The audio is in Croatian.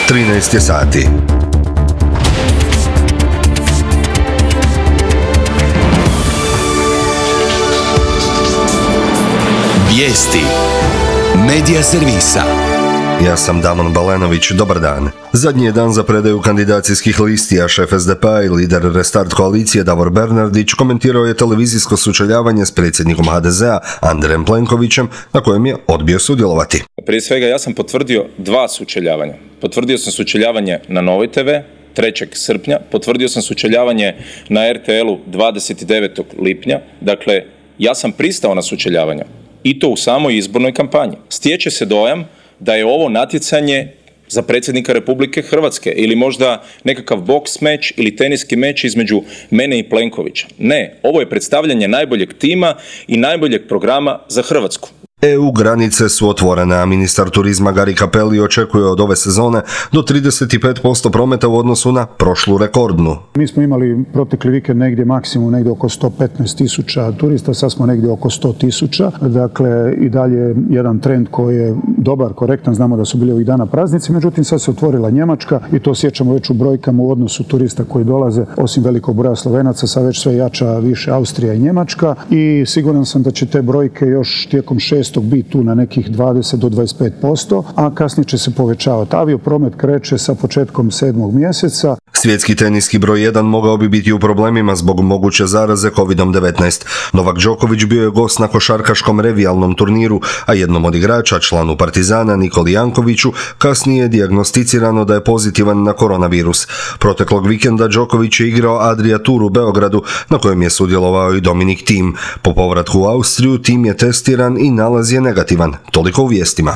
13 je sati. Vijesti Medija servisa. Ja sam Damon Balenović, dobar dan. Zadnji je dan za predaju kandidacijskih listi, a šef SDP-a i lider Restart koalicije Davor Bernardić komentirao je televizijsko sučeljavanje s predsjednikom HDZ-a Andrejem Plenkovićem, na kojem je odbio sudjelovati. Prije svega ja sam potvrdio 2 sučeljavanja. Potvrdio sam sučeljavanje na Novoj TV 3. srpnja, potvrdio sam sučeljavanje na RTL-u 29. lipnja. Dakle, ja sam pristao na sučeljavanje i to u samoj izbornoj kampanji. Stječe se dojam da je ovo natjecanje za predsjednika Republike Hrvatske ili možda nekakav boks meč ili teniski meč između mene i Plenkovića. Ne, ovo je predstavljanje najboljeg tima i najboljeg programa za Hrvatsku. EU granice su otvorene, a ministar turizma Gari Cappelli očekuje od ove sezone do 35% prometa u odnosu na prošlu rekordnu. Mi smo imali protekli vikend negdje maksimum negdje oko 115.000 turista, sad smo negdje oko 100.000. Dakle, i dalje jedan trend koji je dobar, korektan, znamo da su bili ovih dana praznici, međutim sad se otvorila Njemačka i to osjećamo već u brojkama u odnosu turista koji dolaze, osim velikog broja Slovenaca, sad već sve jača više Austrija i Njemačka i siguran sam da će te brojke još tijekom 6. biti tu na nekih 20 do 25%, a kasnije će se povećavati. Aviopromet kreće sa početkom 7. mjeseca. Svjetski teniski broj 1 mogao bi biti u problemima zbog moguće zaraze COVID-19. Novak Đoković bio je gost na košarkaškom revijalnom turniru, a jednom od igrača, članu Partizana Nikoli Jankoviću, kasnije je dijagnosticirano da je pozitivan na koronavirus. Proteklog vikenda Đoković je igrao Adria Tour u Beogradu, na kojem je sudjelovao i Dominic Thiem. Po povratku u Austriju Thiem je testiran i nalaz je negativan. Toliko u vijestima.